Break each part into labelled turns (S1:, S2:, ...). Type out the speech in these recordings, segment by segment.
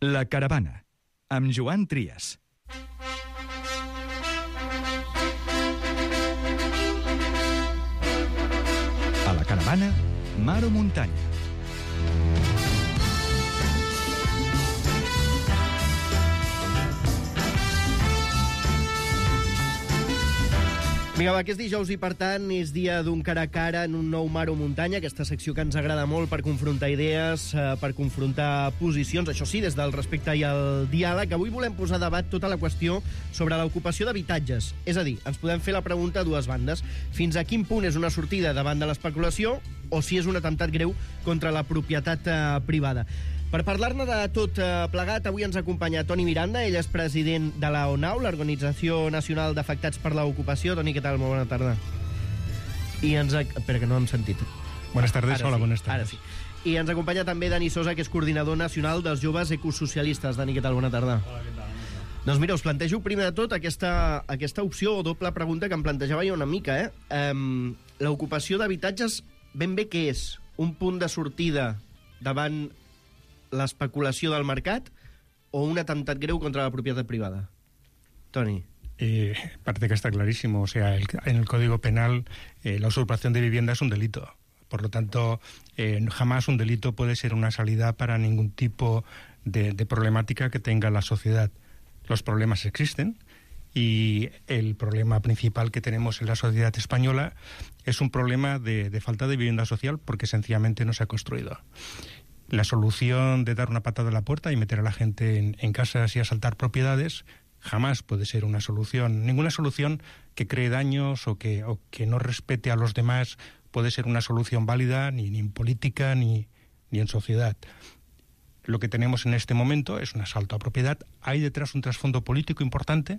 S1: La Caravana, amb Joan Trias. A la Caravana, mar o muntanya.
S2: Vinga, va, que és dijous i, per tant, és dia d'un cara a cara en un nou mar o muntanya, aquesta secció que ens agrada molt per confrontar idees, per confrontar posicions, això sí, des del respecte i el diàleg. Avui volem posar a debat tota la qüestió sobre l'ocupació d'habitatges. És a dir, ens podem fer la pregunta a dues bandes. Fins a quin punt és una sortida davant de l'especulació o si és un atemptat greu contra la propietat privada? Per parlar-ne de tot plegat, avui ens acompanya Toni Miranda. Ell és president de la ONAU, l'Organització Nacional d'Afectats per l'Ocupació. Toni, què tal? Molt bona tarda. I espera, que no hem sentit.
S3: Buenas tardes,
S2: Ara
S3: hola,
S2: sí,
S3: buenas tardes.
S2: Ara sí. I ens acompanya també Dani Sosa, que és coordinador nacional dels joves ecosocialistes. Dani, què tal? Bona tarda.
S3: Hola, què tal?
S2: Doncs mira, us plantejo primer de tot aquesta opció o doble pregunta que em plantejava jo una mica. L'ocupació d'habitatges, ben bé què és? Un punt de sortida davant l'especulació del mercat o un atemptat greu contra la propietat privada? Toni.
S3: Parece que está clarísimo. O sea, en el Código Penal la usurpación de vivienda es un delito. Por lo tanto, jamás un delito puede ser una salida para ningún tipo de problemática que tenga la sociedad. Los problemas existen y el problema principal que tenemos en la sociedad española es un problema de falta de vivienda social porque sencillamente no se ha construido. La solución de dar una patada a la puerta y meter a la gente en casas y asaltar propiedades jamás puede ser una solución. Ninguna solución que cree daños o que no respete a los demás puede ser una solución válida ni en política ni en sociedad. Lo que tenemos en este momento es un asalto a propiedad. Hay detrás un trasfondo político importante.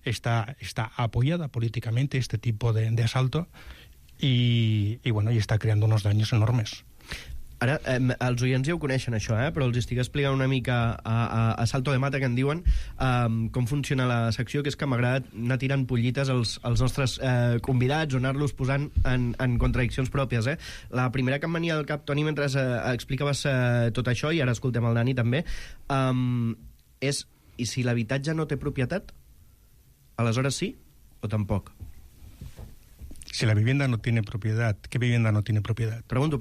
S3: Está apoyada políticamente este tipo de asalto y está creando unos daños enormes.
S2: Ara, els oients ja ho coneixen, això, però els estic explicant una mica a salto de mata, que en diuen, com funciona la secció, que és que m'agrada anar tirant pollites als nostres convidats o anar-los posant en contradiccions pròpies. La primera que em venia al cap, Toni, mentre explicaves tot això, i ara escoltem el Dani també, és, i si l'habitatge no té propietat, aleshores sí o tampoc?
S3: Si la vivienda no tiene propiedad, ¿qué vivienda no tiene propiedad?
S2: Pregunto.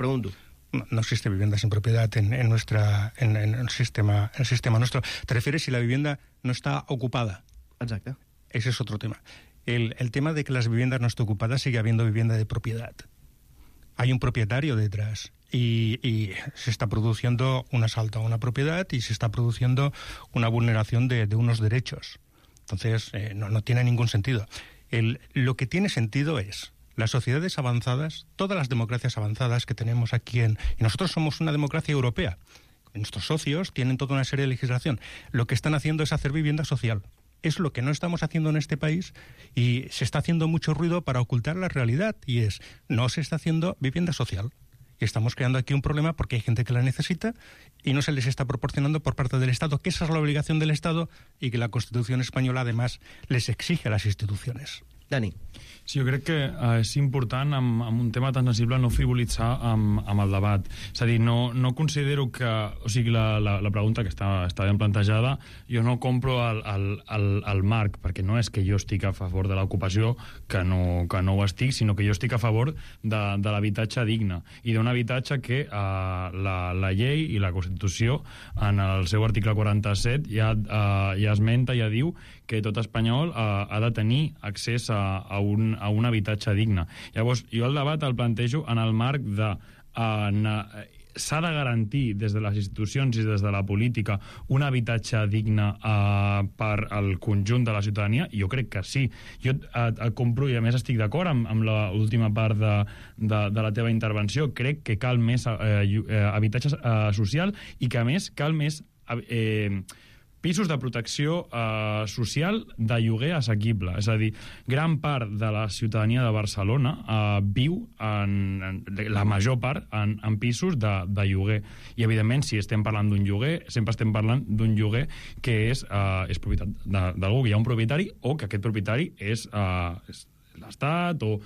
S3: No existe vivienda sin propiedad en el sistema nuestro. ¿Te refieres si la vivienda no está ocupada?
S2: Exacte.
S3: Ese es otro tema. El tema de que las viviendas no estén ocupadas, sigue habiendo vivienda de propiedad. Hay un propietario detrás y se está produciendo un asalto a una propiedad y se está produciendo una vulneración de unos derechos. Entonces, no tiene ningún sentido. Lo que tiene sentido es las sociedades avanzadas, todas las democracias avanzadas que tenemos aquí y nosotros somos una democracia europea. Nuestros socios tienen toda una serie de legislación. Lo que están haciendo es hacer vivienda social. Es lo que no estamos haciendo en este país y se está haciendo mucho ruido para ocultar la realidad y no se está haciendo vivienda social. Y estamos creando aquí un problema porque hay gente que la necesita y no se les está proporcionando por parte del Estado, que esa es la obligación del Estado y que la Constitución española además les exige a las instituciones.
S2: Dani.
S4: Sí, jo crec que és important amb un tema tan sensible no frivolitzar amb el debat. És a dir, no considero que... O sigui, la pregunta que està ben plantejada, jo no compro el marc, perquè no és que jo estic a favor de l'ocupació, que no ho estic, sinó que jo estic a favor de l'habitatge digne i d'un habitatge que la llei i la Constitució en el seu article 47 ja esmenta, ja diu que tot espanyol ha de tenir accés a un habitatge digne. Llavors, jo el debat el plantejo en el marc de s'ha de garantir des de les institucions i des de la política un habitatge digne per al conjunt de la ciutadania? Jo crec que sí. Jo compro, i a més estic d'acord amb l'última part de la teva intervenció. Crec que cal més habitatge social i que a més cal més pisos de protecció social de lloguer assequible. És a dir, gran part de la ciutadania de Barcelona viu, la major part, en pisos de lloguer. I, evidentment, si estem parlant d'un lloguer, sempre estem parlant d'un lloguer que és propietat d'algú, que hi ha un propietari o que aquest propietari és l'Estat o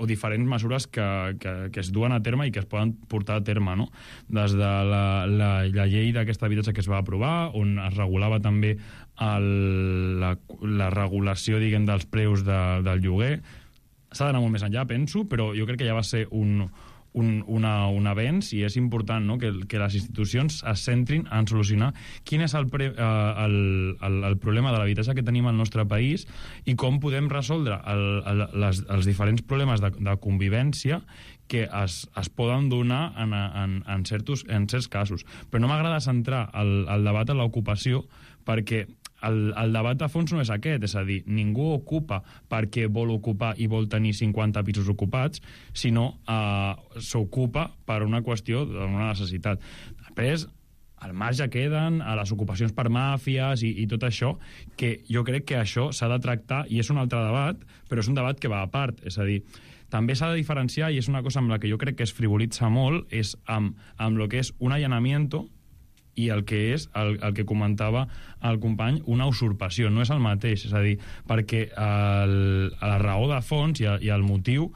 S4: diferents mesures que es duen a terme i que es poden portar a terme, no? Des de la llei d'aquest habitatge que es va aprovar, on es regulava també la regulació, diguem, dels preus del lloguer. S'ha d'anar molt més enllà, penso, però jo crec que ja va ser un avenç, i és important, no?, que les institucions es centrin en solucionar quin és el problema de l'habitatge que tenim al nostre país i com podem resoldre els diferents problemes de convivència que es poden donar en certs casos. Però no m'agrada centrar el debat en l'ocupació, perquè el debat de fons no és aquest, és a dir, ningú ocupa perquè vol ocupar i vol tenir 50 pisos ocupats, sinó s'ocupa per una qüestió d'una necessitat. Després, al marge queden a les ocupacions per màfies i tot això, que jo crec que això s'ha de tractar, i és un altre debat, però és un debat que va a part, és a dir, també s'ha de diferenciar, i és una cosa amb la que jo crec que es frivolitza molt, és amb el que és un allanamiento i el que és el que comentava el company, una usurpació. No és el mateix, és a dir, perquè la raó de fons i el motiu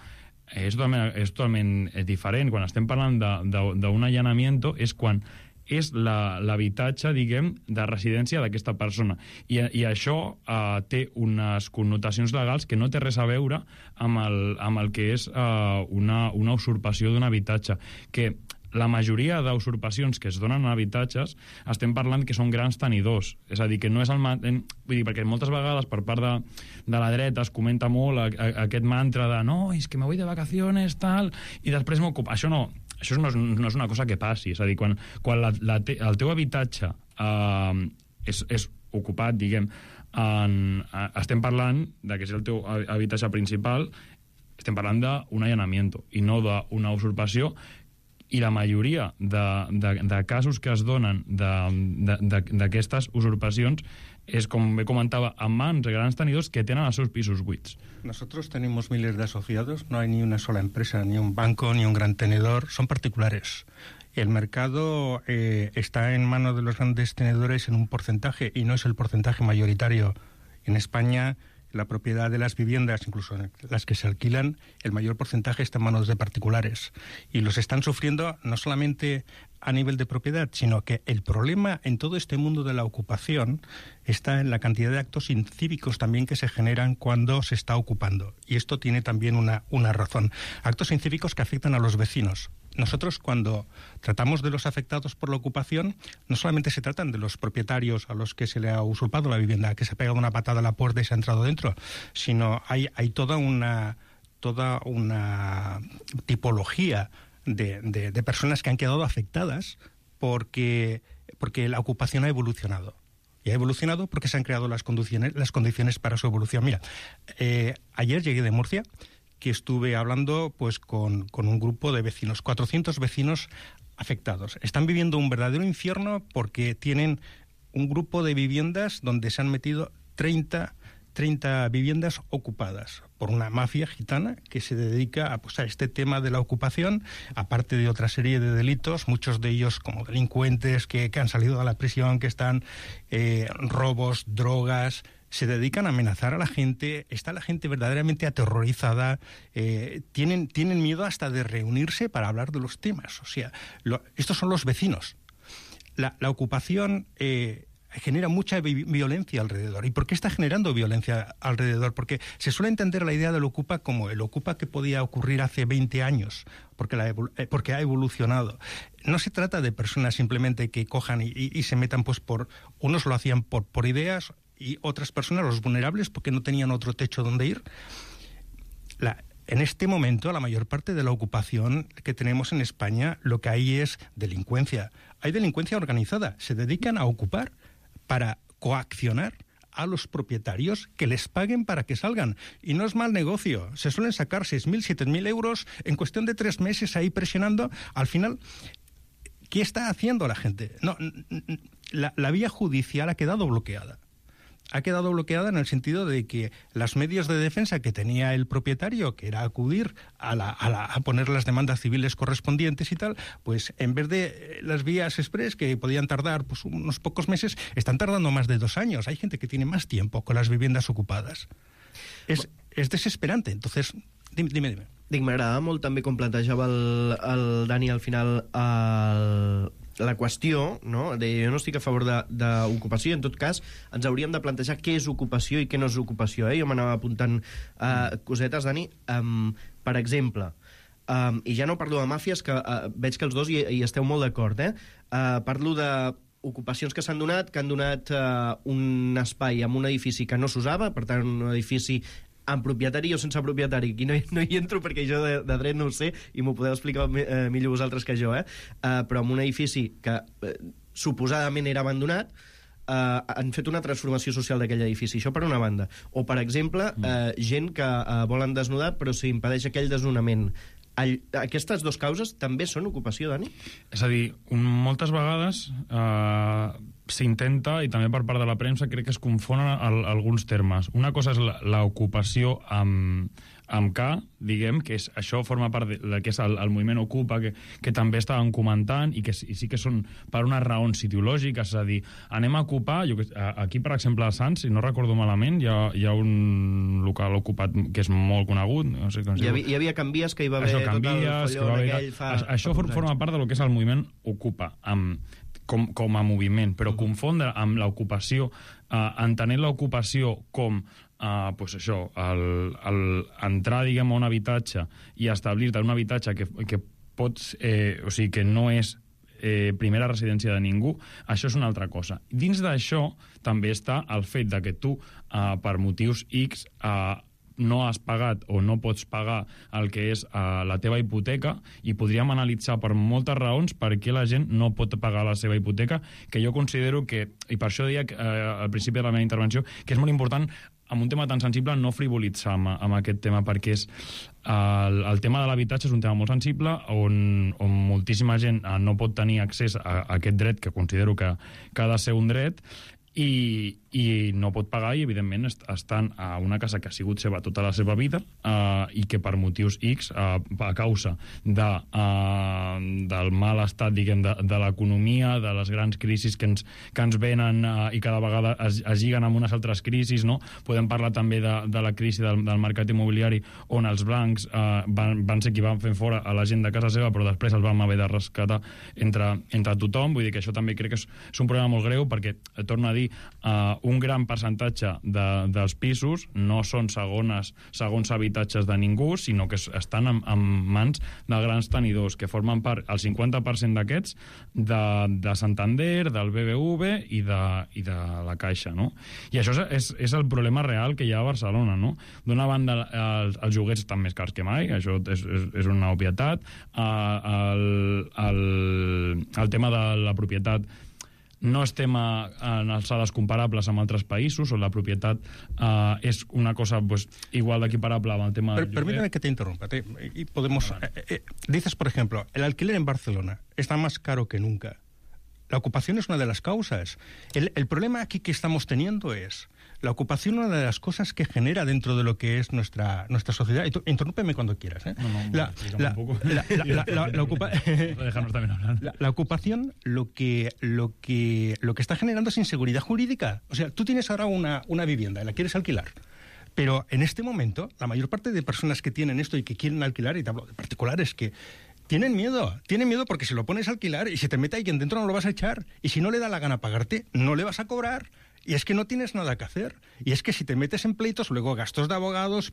S4: és totalment diferent. Quan estem parlant d'un allanamiento és quan és l'habitatge, diguem, de residència d'aquesta persona. I això té unes connotacions legals que no té res a veure amb el que és una usurpació d'un habitatge, que la majoria d'usurpacions que es donen en habitatges estem parlant que són grans tenidors, és a dir, que no és vull dir, perquè moltes vegades per part de la dreta es comenta molt aquest mantra de no, és que me voy de vacaciones, tal, i després m'ocupa. Això no és una cosa que passi, és a dir, quan el teu habitatge és ocupat, diguem, estem parlant de que és el teu habitatge principal, estem parlant d'un allanamiento i no d'una usurpació. I la majoria de casos que es donen d'aquestes usurpacions és, com bé comentava, en mans de grans tenidors que tenen els seus pisos buits.
S3: Nosotros tenemos miles de asociados, no hay ni una sola empresa, ni un banco, ni un gran tenedor, son particulares. El mercado está en manos de los grandes tenedores en un porcentaje, y no es el porcentaje mayoritario. En España, la propiedad de las viviendas, incluso las que se alquilan, el mayor porcentaje está en manos de particulares. Y los están sufriendo no solamente a nivel de propiedad, sino que el problema en todo este mundo de la ocupación está en la cantidad de actos incívicos también que se generan cuando se está ocupando. Y esto tiene también una razón. Actos incívicos que afectan a los vecinos. Nosotros, cuando tratamos de los afectados por la ocupación, no solamente se tratan de los propietarios a los que se le ha usurpado la vivienda, que se ha pegado una patada a la puerta y se ha entrado dentro, sino hay toda una tipología de personas que han quedado afectadas porque la ocupación ha evolucionado. Y ha evolucionado porque se han creado las condiciones para su evolución. Mira, ayer llegué de Murcia, que estuve hablando pues con un grupo de vecinos, 400 vecinos afectados. Están viviendo un verdadero infierno porque tienen un grupo de viviendas donde se han metido 30 viviendas ocupadas por una mafia gitana que se dedica a este tema de la ocupación, aparte de otra serie de delitos, muchos de ellos como delincuentes que han salido de la prisión, que están robos, drogas. Se dedican a amenazar a la gente, está la gente verdaderamente aterrorizada, tienen miedo hasta de reunirse para hablar de los temas. O sea, estos son los vecinos. La ocupación genera mucha violencia alrededor. ¿Y por qué está generando violencia alrededor? Porque se suele entender la idea del ocupa como el ocupa que podía ocurrir hace 20 años, porque ha evolucionado. No se trata de personas simplemente que cojan y se metan, pues unos lo hacían por ideas, y otras personas, los vulnerables, porque no tenían otro techo donde ir. En este momento, la mayor parte de la ocupación que tenemos en España, lo que hay es delincuencia. Hay delincuencia organizada. Se dedican a ocupar para coaccionar a los propietarios que les paguen para que salgan. Y no es mal negocio. Se suelen sacar 6.000, 7.000 euros en cuestión de 3 meses ahí presionando. Al final, ¿qué está haciendo la gente? No, la vía judicial ha quedado bloqueada. Ha quedado bloqueada en el sentido de que los medios de defensa que tenía el propietario, que era acudir a poner las demandas civiles correspondientes y tal, pues en vez de las vías express que podían tardar pues unos pocos meses, están tardando más de 2 años. Hay gente que tiene más tiempo con las viviendas ocupadas. es desesperante. Entonces, dime.
S2: Dic, m'agradava molt també com plantejava el Dani al final la qüestió, no? Jo no estic a favor d'ocupació, en tot cas ens hauríem de plantejar què és ocupació i què no és ocupació. Jo m'anava apuntant cosetes, Dani. Per exemple, i ja no parlo de màfies, que veig que els dos hi esteu molt d'acord, parlo de ocupacions que s'han donat, que han donat un espai en un edifici que no s'usava, per tant, un edifici amb propietari o sense propietari. Aquí no hi entro perquè jo de dret no ho sé i m'ho podeu explicar millor vosaltres que jo, però en un edifici que suposadament era abandonat, han fet una transformació social d'aquell edifici. Això per una banda. O, per exemple, gent que volen desnudar però s'impedeix aquell desnonament. Aquestes dues causes també són ocupació, Dani?
S4: És a dir, moltes vegades s'intenta, i també per part de la premsa, crec que es confonen alguns termes. Una cosa és l'ocupació amb K, diguem, que això forma part del que és el moviment Ocupa, que també estàvem comentant, i sí que són per unes raons ideològiques, és a dir, anem a ocupar, aquí, per exemple, a Sants, si no recordo malament, hi ha un local ocupat que és molt conegut, no sé com es diu.
S2: Hi havia Canvies, que hi va haver tot el folló d'aquell fa...
S4: Això forma part del que és el moviment Ocupa, com a moviment, però confondre amb l'ocupació, entenent l'ocupació com pues això, entrar, diguem, a un habitatge i establir-te en un habitatge que pots, o sigui, que no és primera residència de ningú, això és una altra cosa. Dins d'això també està el fet de que tu, per motius X, no has pagat o no pots pagar el que és la teva hipoteca, i podríem analitzar per moltes raons per què la gent no pot pagar la seva hipoteca, que jo considero que, i per això deia al principi de la meva intervenció, que és molt important amb un tema tan sensible no frivolitzar amb aquest tema, perquè és el tema de l'habitatge és un tema molt sensible on moltíssima gent no pot tenir accés a aquest dret, que considero que ha de ser un dret, i no pot pagar, i evidentment estan a una casa que ha sigut seva tota la seva vida, i que per motius X, a causa del mal estat, diguem, de l'economia, de les grans crisis que ens venen, i cada vegada es lliguen amb unes altres crisis, no? Podem parlar també de la crisi del mercat immobiliari, on els blancs van ser qui van fer fora a la gent de casa seva, però després els vam haver de rescatar entre tothom. Vull dir que això també crec que és un problema molt greu, perquè, torno a dir, un gran percentatge dels pisos no són segons habitatges de ningú, sinó que estan en mans de grans tenidors, que formen part, el 50% d'aquests, de Santander, del BBV i de la Caixa, no? I això és el problema real que hi ha a Barcelona, no? D'una banda, els lloguers estan més cars que mai, això és una obvietat. El tema de la propietat no estem en alçades comparables amb altres països, on la propietat és una cosa pues, igual d'equiparable amb el tema del lloguer.
S3: Permíteme que te interrumpa. Y podemos, dices, por ejemplo, el alquiler en Barcelona está más caro que nunca. La ocupación es una de las causas. El problema aquí que estamos teniendo es la ocupación, una de las cosas que genera dentro de lo que es nuestra sociedad. Interrúmpeme cuando quieras. La ocupación lo que está generando es inseguridad jurídica. O sea, tú tienes ahora una vivienda y la quieres alquilar. Pero en este momento, la mayor parte de personas que tienen esto y que quieren alquilar, y te hablo de particulares, que tienen miedo porque si lo pones a alquilar y se te mete alguien dentro no lo vas a echar, y si no le da la gana pagarte, no le vas a cobrar, y es que no tienes nada que hacer, y es que si te metes en pleitos, luego gastos de abogados,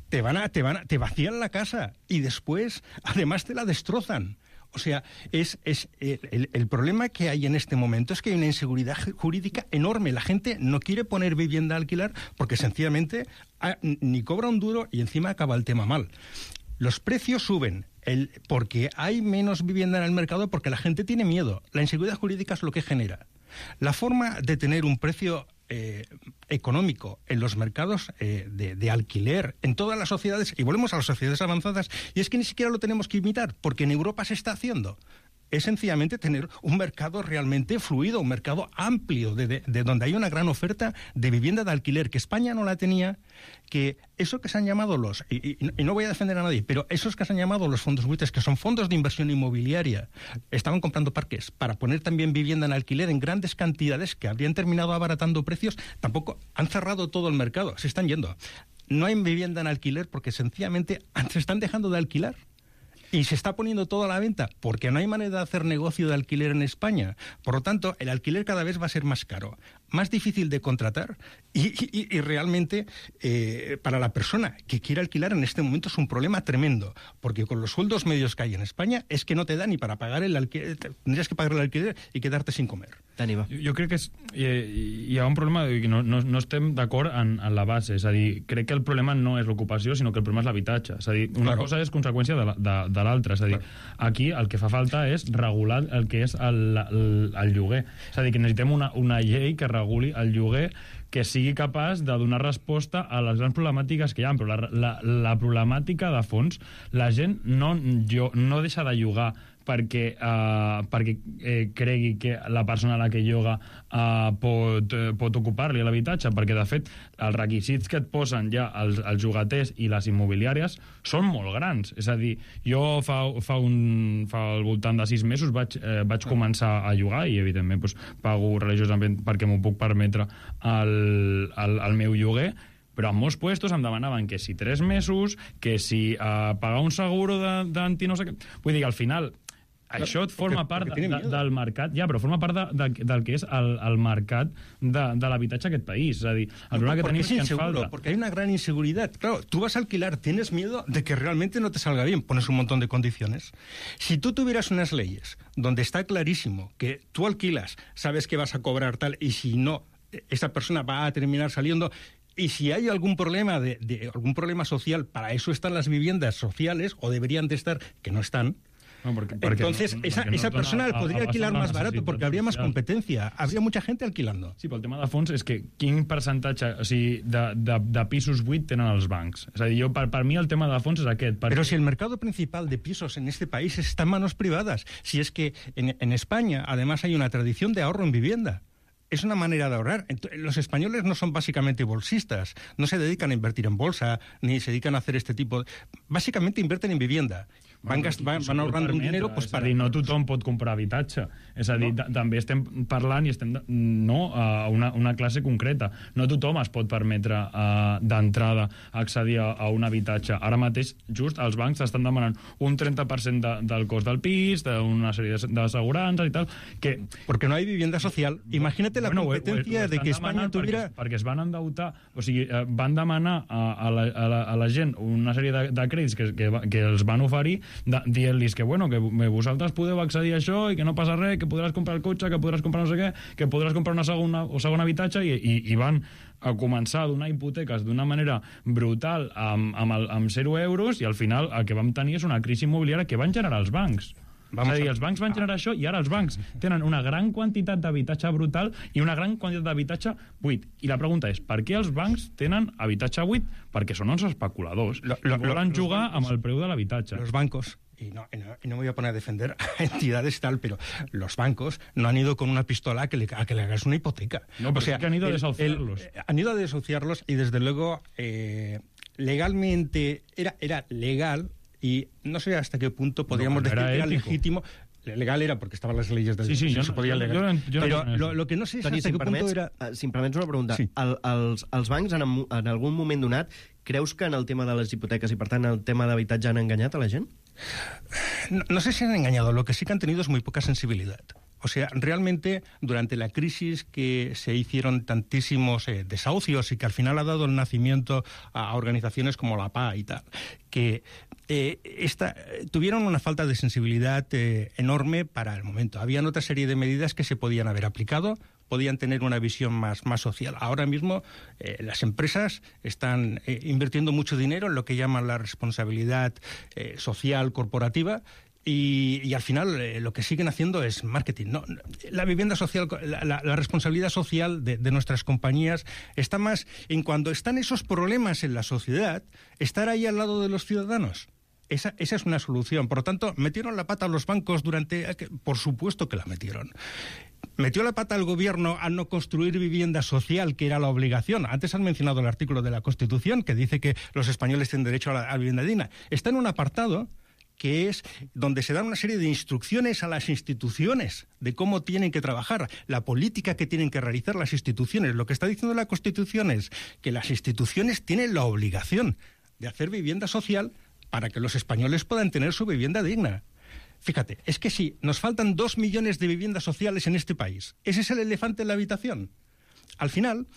S3: te vacían la casa, y después además te la destrozan. O sea, el problema que hay en este momento es que hay una inseguridad jurídica enorme. La gente no quiere poner vivienda a alquilar porque sencillamente ni cobra un duro y encima acaba el tema mal. Los precios suben porque hay menos vivienda en el mercado, porque la gente tiene miedo. La inseguridad jurídica es lo que genera. La forma de tener un precio económico en los mercados de alquiler en todas las sociedades, y volvemos a las sociedades avanzadas, y es que ni siquiera lo tenemos que imitar, porque en Europa se está haciendo, es sencillamente tener un mercado realmente fluido, un mercado amplio, de donde hay una gran oferta de vivienda de alquiler, que España no la tenía, que eso que se han llamado y no voy a defender a nadie, pero esos que se han llamado los fondos buitres, que son fondos de inversión inmobiliaria, estaban comprando parques para poner también vivienda en alquiler en grandes cantidades que habrían terminado abaratando precios, tampoco han cerrado todo el mercado, se están yendo. no hay vivienda en alquiler porque sencillamente se están dejando de alquilar. Y se está poniendo todo a la venta porque no hay manera de hacer negocio de alquiler en España. Por lo tanto, el alquiler cada vez va a ser más caro, más difícil de contratar y realmente para la persona que quiere alquilar en este momento es un problema tremendo, porque con los sueldos medios que hay en España es que no te da ni para pagar el alquiler, tendrías que pagar el alquiler y quedarte sin comer.
S2: Dani, va.
S4: Jo crec que hi ha un problema que no estem d'acord en la base, és a dir, crec que el problema no és l'ocupació, sinó que el problema és l'habitatge. És a dir, una cosa és conseqüència de l'altra. És a dir, aquí el que fa falta és regular el que és el lloguer. És a dir, que necessitem una llei que reguli el lloguer que sigui capaç de donar resposta a les grans problemàtiques que hi ha. Però la problemàtica de fons, la gent no deixa de llogar perquè cregui que la persona a la que lloga pot ocupar-li l'habitatge, perquè de fet els requisits que et posen ja els llogaters i les immobiliàries són molt grans. És a dir, jo fa al voltant de 6 mesos vaig començar a llogar i evidentment pago religiosament perquè m'ho puc permetre el meu lloguer, però en molts puestos em demanaven que si 3 mesos, que si pagar un seguro d'anti no sé què. Vull dir, al final això forma part del mercat, ja, però forma part del que és el mercat de l'habitatge a aquest país. És a dir, el problema que tenim és que ens falta.
S3: Porque hay una gran inseguridad. Claro, tú vas a alquilar, tienes miedo de que realmente no te salga bien, pones un montón de condiciones. Si tú tuvieras unas leyes donde está clarísimo que tú alquilas, sabes que vas a cobrar tal, y si no, esa persona va a terminar saliendo. Y si hay algún problema algún problema social, para eso están las viviendas sociales, o deberían de estar, que no están.
S4: No, porque
S3: entonces esa persona podría alquilar más barato porque habría más competencia, habría mucha gente alquilando.
S4: Sí, però el tema de fons és que quin percentatge, o sigui, de pisos buits tenen els bancs? És a dir, per mi el tema de fons és aquest.
S3: Pero si el mercado principal de pisos en este país está en manos privadas, si es que en España además hay una tradición de ahorro en vivienda. Es una manera de ahorrar. Los españoles no son básicamente bolsistas, no se dedican a invertir en bolsa, ni se dedican a hacer este tipo. Básicamente invierten en vivienda. Van ahorrando un dinero pues,
S4: para... no tothom pot comprar habitatge. És a dir, també estem parlant i estem a una classe concreta. No tothom es pot permetre d'entrada accedir a un habitatge. Ara mateix, just, els bancs estan demanant un 30% del cost del pis, d'una sèrie d'assegurances i tal, que...
S3: Porque no hay vivienda social. Imagínate la competencia de que España tuviera...
S4: Perquè es van endeutar, o sigui, van demanar a la gent una sèrie de crèdits que els van oferir, dient-los que, bueno, que vosaltres podeu accedir a això i que no passa res, que podràs comprar el cotxe, que podràs comprar no sé què, que podràs comprar una segon habitatge, i van a començar a donar hipoteques d'una manera brutal amb 0 euros, i al final el que vam tenir és una crisi immobiliària que van generar els bancs. És a dir, els bancs van generar això i ara els bancs tenen una gran quantitat d'habitatge brutal i una gran quantitat d'habitatge buit. I la pregunta és, per què els bancs tenen habitatge buit? Perquè són uns especuladors. Volen jugar amb el preu de l'habitatge.
S3: Los bancos, y no me voy a poner a defender a entidades tal, pero los bancos no han ido con una pistola a que le hagas una hipoteca.
S4: No, pero o sea, es que han ido a desahuciarlos.
S3: Han ido a desahuciarlos y desde luego legalmente era legal. Y no sé hasta qué punto podríamos decir que era legítimo. Legal era porque estaban las leyes del...
S4: Sí,
S3: se podía legal. Pero lo que no sé es hasta qué punto era...
S2: Si em permets una pregunta. Sí. Els bancs, en algun moment donat, creus que en el tema de les hipoteques i, per tant, el tema d'habitatge han enganyat a la gent?
S3: No sé si han engañado. Lo que sí que han tenido es muy poca sensibilidad. O sea, realmente durante la crisis que se hicieron tantísimos desahucios y que al final ha dado el nacimiento a organizaciones como la PA y tal, que tuvieron una falta de sensibilidad enorme para el momento. Habían otra serie de medidas que se podían haber aplicado, podían tener una visión más social. Ahora mismo las empresas están invirtiendo mucho dinero en lo que llaman la responsabilidad social corporativa, y al final lo que siguen haciendo es marketing, ¿no? La vivienda social, la responsabilidad social de nuestras compañías está más en cuando están esos problemas en la sociedad, estar ahí al lado de los ciudadanos. Esa es una solución. Por lo tanto, ¿metieron la pata a los bancos por supuesto que la metieron. ¿Metió la pata al gobierno al no construir vivienda social, que era la obligación? Antes han mencionado el artículo de la Constitución que dice que los españoles tienen derecho a la vivienda digna. Está en un apartado que es donde se dan una serie de instrucciones a las instituciones de cómo tienen que trabajar, la política que tienen que realizar las instituciones. Lo que está diciendo la Constitución es que las instituciones tienen la obligación de hacer vivienda social para que los españoles puedan tener su vivienda digna. Fíjate, es que si nos faltan 2 millones de viviendas sociales en este país, ese es el elefante en la habitación. Al final,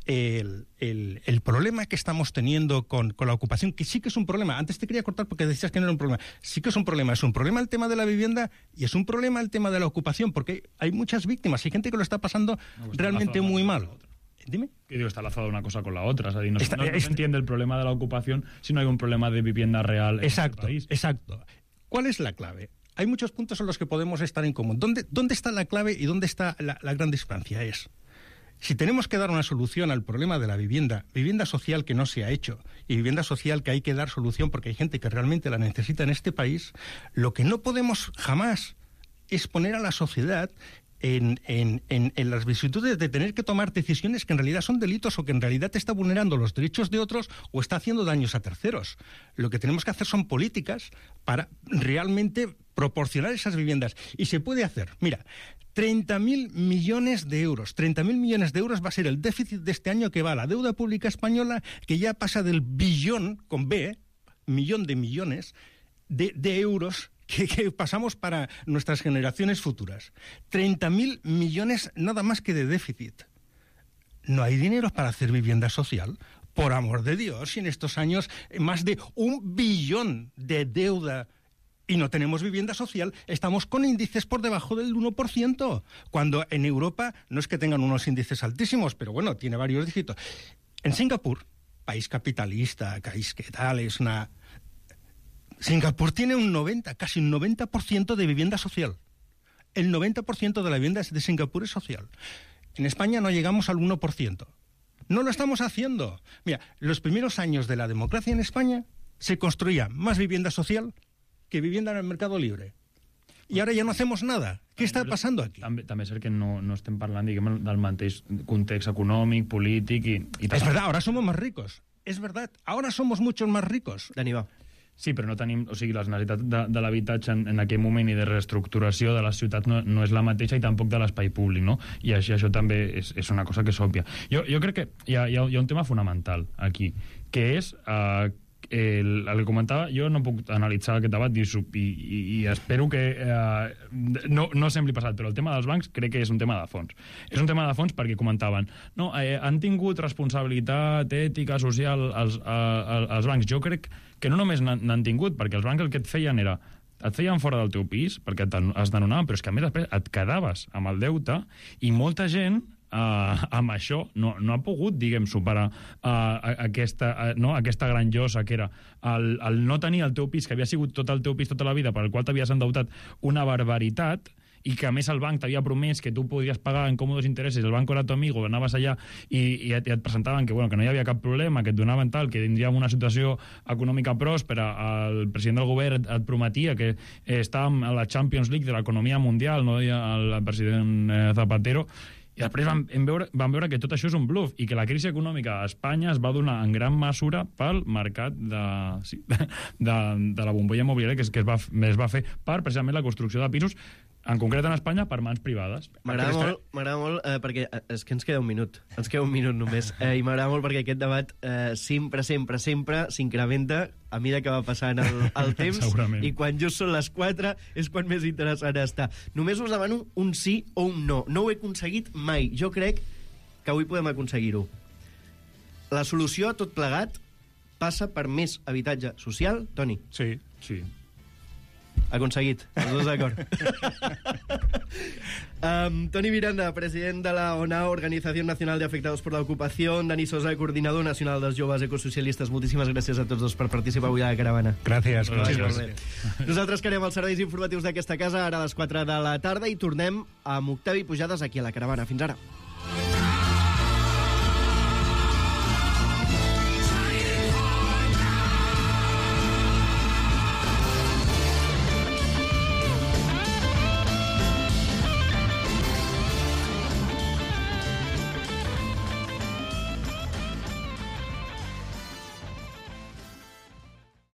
S3: el problema que estamos teniendo con la ocupación, que sí que es un problema, antes te quería cortar porque decías que no era un problema, sí que es un problema el tema de la vivienda y es un problema el tema de la ocupación, porque hay muchas víctimas, hay gente que lo está pasando realmente muy mal. Dime.
S4: Que digo, está lazada una cosa con la otra. O sea, no se entiende el problema de la ocupación si no hay un problema de vivienda real en este país. Exacto.
S3: ¿Cuál es la clave? Hay muchos puntos en los que podemos estar en común. ¿Dónde está la clave y dónde está la gran discrepancia? Si tenemos que dar una solución al problema de la vivienda social que no se ha hecho y vivienda social que hay que dar solución porque hay gente que realmente la necesita en este país, lo que no podemos jamás es poner a la sociedad en las vicisitudes de tener que tomar decisiones que en realidad son delitos o que en realidad está vulnerando los derechos de otros o está haciendo daños a terceros. Lo que tenemos que hacer son políticas para realmente proporcionar esas viviendas. Y se puede hacer. Mira, 30.000 millones de euros. 30.000 millones de euros va a ser el déficit de este año que va a la deuda pública española, que ya pasa del billón, con B, millón de millones, de euros que pasamos para nuestras generaciones futuras. 30.000 millones nada más que de déficit. No hay dinero para hacer vivienda social. Por amor de Dios, y en estos años más de 1 billón de deuda y no tenemos vivienda social, estamos con índices por debajo del 1%, cuando en Europa no es que tengan unos índices altísimos, pero bueno, tiene varios dígitos. En Singapur, país capitalista, país que tal, es una... Singapur tiene casi un 90% de vivienda social. El 90% de la vivienda de Singapur es social. En España no llegamos al 1%. No lo estamos haciendo. Mira, los primeros años de la democracia en España se construía más vivienda social que vivienda en el mercado libre. I ara ja no hacemos nada. Què està passant aquí?
S4: També és cert que no estem parlant, diguem, del mateix context econòmic, polític i
S3: Es verdad, ahora somos más ricos. Es verdad, ahora somos muchos más ricos.
S2: Dani, va.
S4: Sí, però no tenim... O sigui, les necessitats de l'habitatge en aquell moment i de reestructuració de les ciutats no és la mateixa i tampoc de l'espai públic, no? I això també és una cosa que és òbvia. Jo crec que hi ha un tema fonamental aquí, que és... el que comentava, jo no puc analitzar aquest debat i espero que no sembli passat, però el tema dels bancs crec que és un tema de fons. És un tema de fons perquè comentaven han tingut responsabilitat ètica, social els bancs. Jo crec que no només n'han tingut, perquè els bancs el que et feien era et feien fora del teu pis perquè es desnonaven, però és que a més després et quedaves amb el deute i molta gent amb això no ha pogut, diguem, superar aquesta gran llosa que era el no tenir el teu pis, que havia sigut tot el teu pis tota la vida, per el qual t'havies endeutat una barbaritat, i que a més el banc t'havia promès que tu podies pagar en còmodes interessos, el banco era tu amigo, anaves allà i et presentaven que no hi havia cap problema, que et donaven tal, que tindríem una situació econòmica pròspera, el president del govern et prometia que estàvem a la Champions League de l'economia mundial, no deia el president Zapatero, i després vam veure que tot això és un bluff i que la crisi econòmica a Espanya es va donar en gran mesura pel mercat de la bombolla immobiliària que es va fer per precisament la construcció de pisos, en concret en Espanya, per mans privades.
S2: M'agrada molt perquè és que ens queda un minut només, i m'agrada molt perquè aquest debat sempre s'incrementa a mesura que va passant el temps i quan just són les 4 és quan més interessant està. Només us demano un sí o un no. No ho he aconseguit mai. Jo crec que avui podem aconseguir-ho. La solució a tot plegat passa per més habitatge social, Toni?
S3: Sí.
S2: Aconseguit, els dos d'acord. Toni Miranda, president de la ONAO, Organización Nacional de Afectados por la Ocupación, Dani Sosa, coordinador nacional dels joves ecosocialistes. Moltíssimes gràcies a tots dos per participar avui a la caravana.
S3: Gràcies.
S2: Nosaltres quedem els serveis informatius d'aquesta casa ara a les 4 de la tarda i tornem amb Octavi Pujades aquí a la caravana. Fins ara.